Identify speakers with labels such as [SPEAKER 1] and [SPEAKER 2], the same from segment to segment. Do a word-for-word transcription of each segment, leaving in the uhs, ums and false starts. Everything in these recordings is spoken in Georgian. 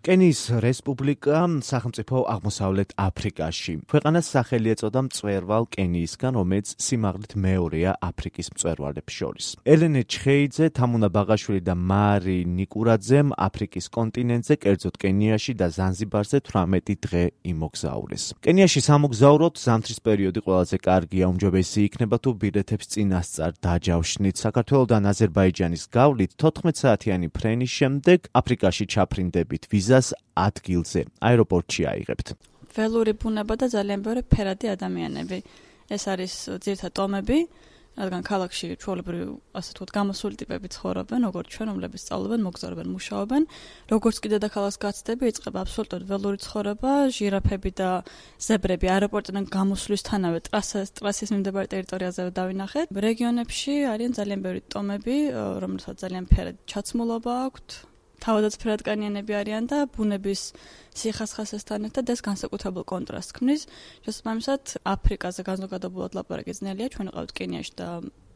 [SPEAKER 1] კენიის რესპუბლიკა სახელმწიფო აღმოსავლეთ აფრიკაში. ქვეყანას სახელი ეწოდა მწვერვალ კენიისგან, რომელიც სიმაღლით მეორეა აფრიკის მწვერვალებს შორის. ელენე ჩხეიძე, თამუნა ბაღაშვილი და მარი ნიკურაძემ აფრიკის კონტინენტზე, კერძოდ კენიაში და ზანზიბარზე თვრამეტი დღე იმოგზაურეს. კენიაში სამოგზაუროდ ზამთრის პერიოდი ყველაზე კარგია, უმჯობესი იქნება თუ ბილეთებს წინასწარ დაჯავშნით. საქართველოდან აზერბაიჯანის გავლით თოთხმეტ საათიანი ფრენის შემდეგ აფრიკაში ჩაფრინდებით ვიზას ადგილზე აეროპორტში აიღებთ.
[SPEAKER 2] ველური ბუნება და ძალიან ბევრი ფერადი ადამიანები. ეს არის ძირითადად ტომები, რადგან ქალაქში ჩვეულებრივ ასე ვთქვათ გამოსული ტიპები ცხოვრობენ, როგორც ჩვენ, რომლებიც სწავლობენ, მოგზაურობენ, მუშაობენ. როგორც კი დედაქალაქს გაცდები, იწყება აბსოლუტურად ველური ცხოვრება, ჟირაფები და ზებრები აეროპორტიდან გამოსვლისთანავე ტრასას ტრასის მიმდებარე ტერიტორიაზე დავინახეთ. რეგიონებში არიან ძალიან ბევრი ტომები, რომელთაც ძალიან ფერადი ჩაცმულობა აქვთ. თავადაც ფერადკანიანები არიან და ბუნების სიხასხასესთან ერთად ეს განსაკუთრებულ კონტრასტს ქმნის. შესაბამისად, აფრიკაზე განზოგადებულად ლაპარაკი ძნელია. ჩვენ ვიყავთ კენიაში და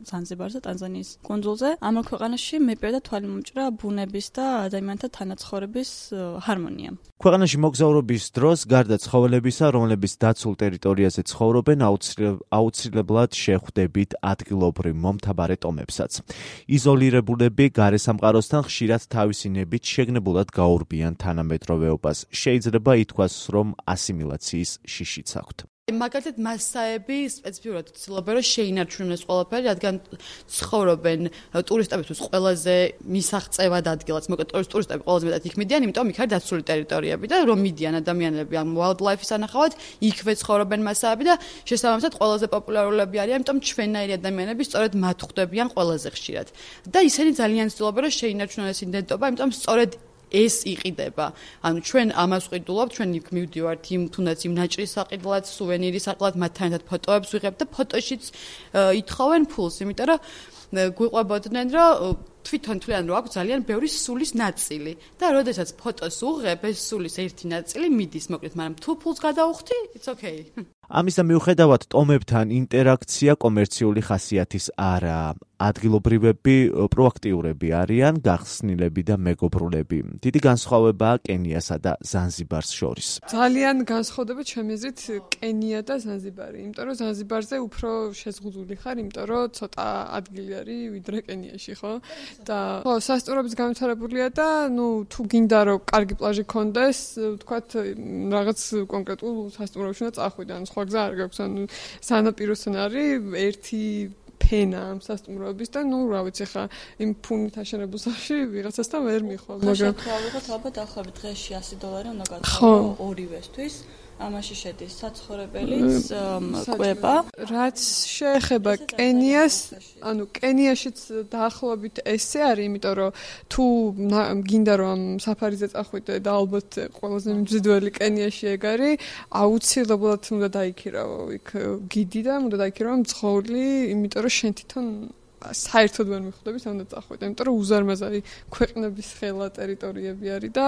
[SPEAKER 2] ზანზიბარზე, ტანზანიის კუნძულზე. ამ ქვეყანაში მეპირდა თვალი მომჭრა ბუნების და ადამიანთა თანაცხოვრების ჰარმონია.
[SPEAKER 1] ქვეყანაში მოგზაურობის დროს გარდა ცხოველებისა, რომლებიც დაცულ ტერიტორიაზე ცხოვრობენ, აუცილებლად შეხვდებით ადგილობრივ მომთაბარე ტომებსაც. იზოლირებულები გარესამყაროსთან ხშირად თავისი ნებით შეგნებულად გაურბიან თანამედროვეობას. შეიძლება ითქვას, რომ ასიმილაციის შიშიც აქვთ.
[SPEAKER 3] მაგალითად მასაები სპეციფიურად ცდილობენ რომ შეინარჩუნონ ეს ყველაფერი, რადგან ცხოვრობენ ტურისტებისთვის ყველაზე მისაღწევად ადგილას, მოკლედ ტურისტები ყველაზე მეტად იქ მიდიან, იმიტომ იქ არის დაცული ტერიტორიები და რომ მიდიან ადამიანები ამ wildlife-ის ანახავად, იქვე ცხოვრობენ მასაები და შესაბამისად ყველაზე პოპულარულები არიან, იმიტომ ჩვენნაირი ადამიანები სწორედ მათ ხვდებიან ყველაზე ხშირად. და ისინი ძალიან ცდილობენ რომ შეინარჩუნონ ეს იდენტობა, იმიტომ სწორედ ეს იყიდება. ანუ ჩვენ ამას ვყიდულობთ, ჩვენ იქ მივდივართ იმ თუნდაც იმ ნაჭრის საყიდლად, სუვენირის საყიდლად, მათთან ერთად ფოტოებს ვიღებთ და ფოტოშიც ითხოვენ ფულს, იმიტომ რომ გვიყვებოდნენ, რომ თვითონ თვლიან, რომ აქვს ძალიან ბევრი სულის ნაწილი და როდესაც ფოტოს უღებ, ეს სულის ერთი ნაწილი მიდის, მოკლედ, მაგრამ თუ ფულს გადაუხდი, it's okay.
[SPEAKER 1] ამისა მიუხედავად, ტომებთან ინტერაქცია კომერციული ხასიათის არაა. ადგილობრივები პროაქტიურები არიან, გახსნილები და მეგობრულები. დიდი განსხვავებაა კენიასა და ზანზიბარს შორის.
[SPEAKER 4] ძალიან განსხვავდება ჩემი აზრით კენია და ზანზიბარი, იმიტომ რომ ზანზიბარზე უფრო შეზღუდული ხარ, იმიტომ რომ ცოტა ადგილი არის ვიდრე კენიაში, ხო? და ხო, სასტუმროების განვითარებულია და ნუ თუ გინდა რომ კარგი პლაჟი გქონდეს, ვთქვათ, რაღაც კონკრეტულ სასტუმროში უნდა წახვიდე, ან სხვა გზა არ გაქვს, ანუ სანაპიროსთან არის ერთი ფენა ამ სასტუმროების და ნუ რა ვიცი ხა იმ ფუნით აშენებულ სახში ვიღაცასთან ვერ მიხვალ,
[SPEAKER 2] მაგრამ ხალხად ალბათ ახლავე დღეში ასი დოლარი უნდა გათხოვო ორივესთვის. ამაში შედის საცხოვრებელიც, კვება.
[SPEAKER 4] რაც შეეხება კენიას, ანუ კენიაშიც დაახლოებით ესე არის, იმიტომ რომ თუ გინდა რომ საფარიზე წახვიდე და ალბათ ყველაზე მძველი კენიაში ეგ არის, აუცილებლად უნდა დაიქირავო იქ გიდი და უნდა დაიქირავო მძღოლი, იმიტომ რომ შენ თვითონ საერთოდ ვერ მიხვდებით, უნდა წახვიდე, იმიტომ რომ უზარმაზარი ქვეყნების ხელა ტერიტორიები არის და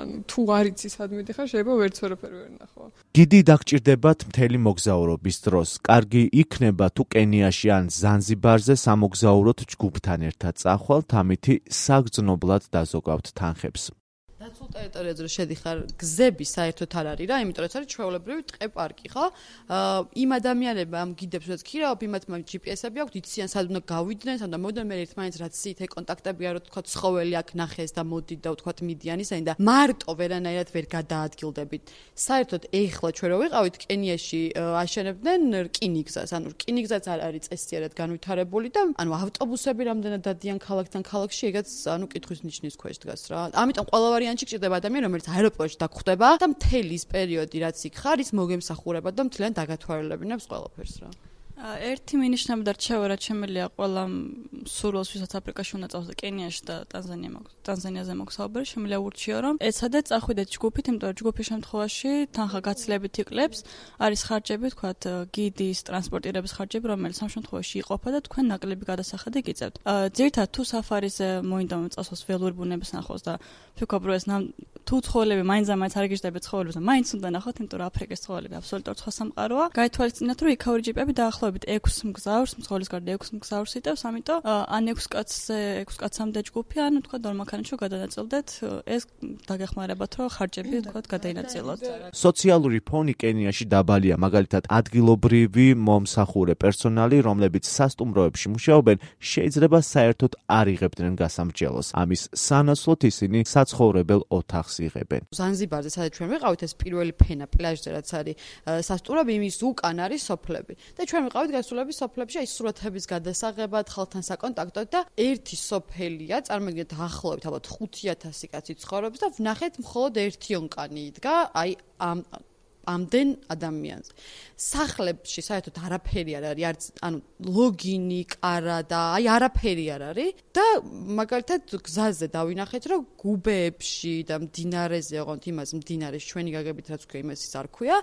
[SPEAKER 4] ანუ თუ არ იცი სად მიდიხარ, შეიძლება ვერც ვერაფერი ვერ ნახო.
[SPEAKER 1] გიდი დაგჭირდებათ მთელი მოგზაურობის დროს. კარგი იქნება თუ კენიაში ან ზანზიბარზე სამოგზაუროდ ჯგუფთან ერთად წახვალთ, ამითი საგრძნობლად დაზოგავთ თანხებს.
[SPEAKER 3] დაცულ ტერიტორიაზე რომ შედიხარ, გზები საერთოდ არ არის რა, იმიტომ რომ ეს არის ჩვეულებრივი ტყე პარკი, ხო? აა იმ ადამიანებმა ამ გიდებს რაც ქირავ, იმათ მაგ ჯი პი ესი-ები აქვთ, იციან სად უნდა გავიდნენ, სად უნდა მოვიდნენ, მე ერთმანეთს რაც სიტე კონტაქტები არ ვთქვა, ცხოველი აქ ნახეს და მოდი და ვთქვა მიდიან ისინი და მარტო ვერანაირად ვერ გადაადგილდებით. საერთოდ ეხლა ჩვენ რო ვიყავით კენიაში აშენებდნენ რკინიგზას, ანუ რკინიგზაც არ არის წესიერად განვითარებული და ანუ ავტობუსები რამდენად დადიან ქალაქთან ქალაქში, ეგაც ანუ კითხვის ნიშნის ქვეშ დგას რა. ამიტომ ყველა ვარიანტი გჭირდება ადამიანი, რომელიც აეროპორტში დაგხვდება და მთელი ის პერიოდი, რაც იქ ხარ, ის მოგემსახურება და მთლიან დაგათვალიერებინებს ყველაფერს რა.
[SPEAKER 2] ერთი მინიშნები და რჩევა რაც შემიძლია ყველა სურვილს, ვისაც აფრიკაში უნდა წავსდა კენიაში და ტანზანიაზე მოგზაურობენ, შემიძლია ურჩიო, რომ ეცადეთ წახვიდეთ ჯგუფით, იმიტომ რომ ჯგუფის შემთხვევაში თანხა გაცილებით იკლებს, არის ხარჯები, თქვათ, გიდის, ტრანსპორტირების ხარჯები, რომელიც ამ შემთხვევაში იყოფა და თქვენ ნაკლები გადასახადი გიწევთ. ძირითადად თუ საფარიზე მოინდა წასვლას ველური ბუნების ნახვას და ვფიქრობ, რომ ეს თუ ცხოველები მაინც-მაინც არ გიждდები ცხოველებს და მაინც უნდა ნახოთ, იმიტომ რომ აფრიკის ცხოველები აბსოლუტურად სხვა სამყაროა. გაითვალისწინოთ, რომ იქაური ჯიპები დაახლოებით ექვს მგზავრს, მსხვილის გარდა ექვს მგზავრს იტევს, ამიტომ ან ექვს კაცზე, ექვს კაცამდე ჯგუფი, ან თქვა დორმანქანაში გადანაწილდეთ, ეს დაგეხმარებათ, რომ ხარჯები თქვა გადაინაწილოთ.
[SPEAKER 1] სოციალური ფონი კენიაში დაბალია, მაგალითად, ადგილობრივი მომსახურე პერსონალი, რომლებიც სასტუმროებში მუშაობენ, შეიძლება საერთოდ არ იღებდნენ გასამრჯელოს. ამის სანაცვლოდ ისინი საცხოვრებელ ოთახს იღებენ.
[SPEAKER 3] ზანზიბარზე სადაც ჩვენ ვიყავით, ეს პირველი ფენა პლაჟზე რაც არის სასტუმროები, იმის უკან არის სოფლები. და ჩვენ ვიყავით გასულები სოფლებში, აი სურათების გადასაღებად, ხალხთან საკონტაქტოდ და ერთი სოფელია, წარმოგიდგენთ ახლობით ალბათ ხუთი ათასი კაცი ცხოვრობს და ვნახეთ მხოლოდ ერთი ონკანი იდგა, აი ამ ამდენ ადამიანზე. სახლებში საერთოდ არაფერი არ არის, არც ანუ ლოგინი, კარა და აი არაფერი არ არის და მაგალითად გზაზე დავინახეთ, რომ გუბეებში და მდინარეზე, ოღონდ იმას მდინარეს ჩვენი გაგებით რაც ქვია, იმას ის არ ქვია,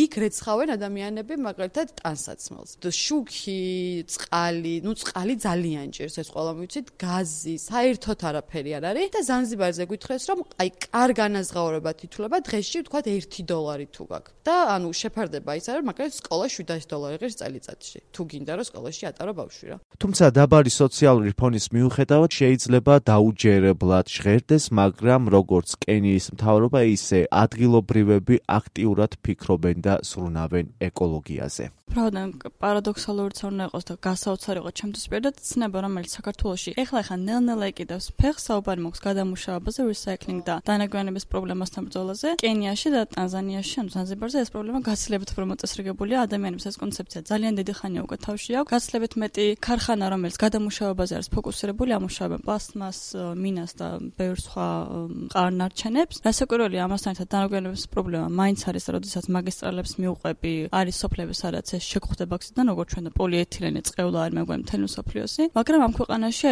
[SPEAKER 3] იქ რეცხავენ ადამიანები მაგალითად ტანსაცმელს. შუქი, წყალი, ну წყალი ძალიან ჭირს, ეს ყველა მივიცით, გაზი, საერთოდ არაფერი არ არის და ზანზიბარზე გითხრეს, რომ აი კარ განაზღაურებად ითვლება დღეში თქვა ერთი დოლარი თუ გაქვს. და ანუ შეფარდება ის არის, მაგრამ სკოლა შვიდასი დოლარი ღირს წელიწადში. თუ გინდა რომ სკოლაში ატარო ბავშვი რა.
[SPEAKER 1] თუმცა დაბალი სოციალური ფონის მიუხედავად შეიძლება დაუჯერებლად ჟღერდეს, მაგრამ როგორც კენიის მთავრობა, ისე ადგილობრივები აქტიურად ფიქრობენ და სრულნავენ ეკოლოგიაზე.
[SPEAKER 2] Pravda, პარადოქსალურიც არ უნდა იყოს და გასაოცარი იყო ჩემთვის პირადად ცნება, რომელიც საქართველოში ეხლა ხან ნელ-ნელა იკიდებს ფეხს საუბარი მოქვს გადამუშავებაზე, recycling და დანაგვიანების პრობლემასთან ბრძოლაზე. კენიაში და ტანზანიაში, ანუ ზანზიბარზე ეს პრობლემა გაცილებით უფრო მოწესრიგებულია. ადამიანებს ეს კონცეფცია ძალიან დიდი ხანია უკვე თავში აქვს. გაცილებით მეტი ქარხანა, რომელიც გადამუშავებაზე არის ფოკუსირებული, ამუშავებენ პლასტმას, მინას და ბევრ სხვა ყარნარჩენებს. რასაკვირველია, ამასთან ერთად დანაგვიანების პრობლემა მაინც არის, როდესაც მაგისტრალებს მიუყვები, არის სოფლები, სადაც ეს შეგხვდება აქციდან, როგორც ჩვენ და პოლიეთილენი წყევლა არ მეგვენ მთელი მსოფლიოსი. მაგრამ ამ ქვეყანაში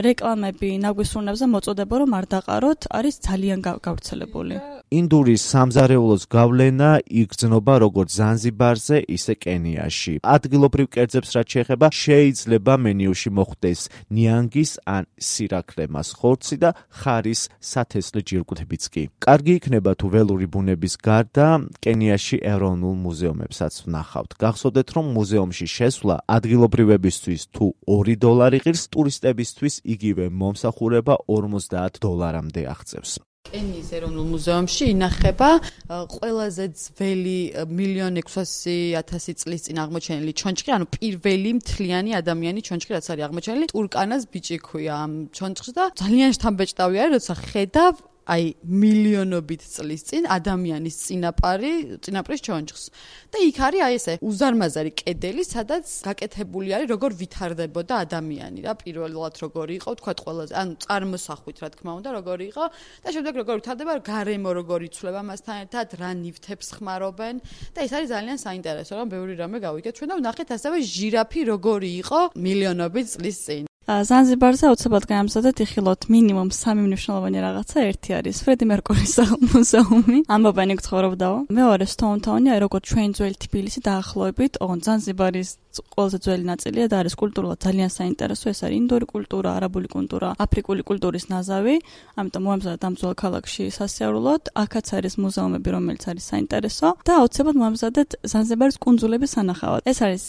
[SPEAKER 2] რეკლამები ნაგვისურნებზე მოწოდება, რომ არ დაყაროთ, არის ძალიან გავრცელებული.
[SPEAKER 1] ინდურის სამზარეულოს გავლენა იგრძნობა როგორც ზანზიბარზე, ისე კენიაში. ადგილობრივ კერძებს რაც შეეხება, შეიძლება მენიუში მოხვდეს ნიანგის ან სირაქლემას ხორცი და ხარის სათესლე ჯირკვლებიც კი. კარგი იქნება თუ ველური ბუნების გარდა კენიაში ეროვნულ მუზეუმებსაც ვნახავთ. გახსოვდეთ, რომ მუზეუმში შესვლა ადგილობრივებისთვის თუ ორი დოლარი ღირს, ტურისტებისთვის იგივე მომსახურება ორმოცდაათ დოლარამდე აღწევს.
[SPEAKER 3] კენიის ეროვნულ მუზეუმში ინახება ყველაზე ძველი მილიონ ექვსასი ათასი წლის წინ აღმოჩენილი ჩონჩხი, ანუ პირველი მთლიანი ადამიანი ჩონჩხი, რაც არის აღმოჩენილი, ტურკანას ბიჭი ქვია ამ ჩონჩხს და ძალიან შთამბეჭდავი არის, როცა ხედავ აი მილიონობით წლის წინ ადამიანის წინაპარი, წინაპრის ჩონჩხს. და იქ არის აი ესე უზარმაზარი კედელი, სადაც გაკეთებული არის როგორ ვითარდებოდა ადამიანი რა, პირველად როგორი იყო, თქვა ყველაზე, ანუ წარმოსახვით რა თქმა უნდა, როგორი იყო და შემდეგ როგორ ვითარდება, გარემო როგორ იცვლება მასთან ერთად, რა ნივთებს ხმარობენ და ეს არის ძალიან საინტერესო, რომ ბევრი რამე გავიგეთ ჩვენ და ვნახეთ ასევე ჟირაფი როგორი იყო მილიონობით წლის წინ.
[SPEAKER 2] ზანზიბარზე აუცილებლად გაამზადეთ იხილოთ მინიმუმ სამი მნიშვნელოვანი რაღაცა. ერთი არის ფრედი მერკურის მუზეუმი, ამბობენ იქ ცხოვრობდაო. მეორე სტოუნ-თაუნი, აი როგორც ჩვენ ძველი თბილისი დაახლოებით, ოღონდ ზანზიბარის ყველაზე ძველი ნაწილია და არის კულტურულად ძალიან საინტერესო. ეს არის ინდური კულტურა, არაბული კულტურა, აფრიკული კულტურის ნაზავი. ამიტომ მოამზადეთ ამ ძველ ქალაქში სასიარულოდ. აქაც არის მუზეუმები, რომელიც არის საინტერესო და აუცილებლად მოამზადეთ ზანზიბარის კუნძულების სანახავად. ეს არის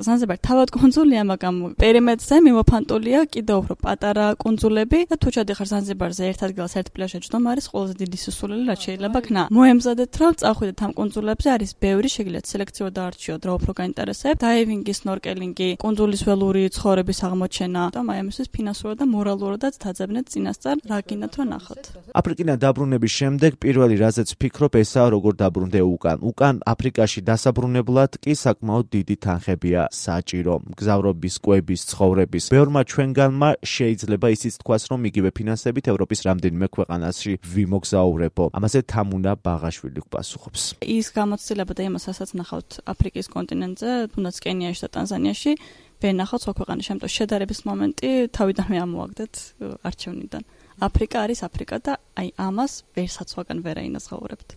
[SPEAKER 2] ზანზიბარი თავად კუნძულია, მაგრამ პერიმეტრზე მიმოფანტულია კიდევ უფრო პატარა კუნძულები და თუ ჩადიხარ ზანზიბარზე ერთ ადგილას ერთ პლაჟში ჯდომა არის ყველაზე დიდი სისულელი, რაც შეიძლება ქნა. მოემზადეთ რომ წახვიდეთ ამ კუნძულებზე, არის ბევრი, შეგიძლიათ სელექციო დაარჩიოთ, რა უფრო გაინტერესებთ. დაივინგი, სნორკელინგი, კუნძულის ველური ცხოვრების აღმოჩენა და აი ამისთვის ფინანსურად და მორალურადაც დაძებნეთ წინასწარ, რა გინდათ რომ ნახოთ.
[SPEAKER 1] აფრიკიდან დაბრუნების შემდეგ პირველი რაზეც ფიქრობ, ესაა როგორ დაბრუნდე უკან. უკან აფრიკაში დასაბრუნებლად კი საკმაოდ დიდი თანხებია საჭირო. მგზავრობის, კვების, ცხოვრების. ბევრმა ჩვენგანმა შეიძლება ისიც თქვას, რომ იგივე ფინანსებით ევროპის რამდენიმე ქვეყანაში ვიმოგზაურებო. ამაზე თამუნა ბაღაშვილი გვპასუხობს.
[SPEAKER 2] ის გამოცდილება და იმასაც ნახავთ აფრიკის კონტინენტზე, თუნდაც კენიაში და ტანზანიაში, ვენახავთ სხვა ქვეყანაში, ამიტომ შედარების მომენტი თავიდანვე ამოვაგდეთ არჩევნიდან. აფრიკა არის აფრიკა და აი ამას ვერსაცვაგან ვერ აინაზღაურებთ.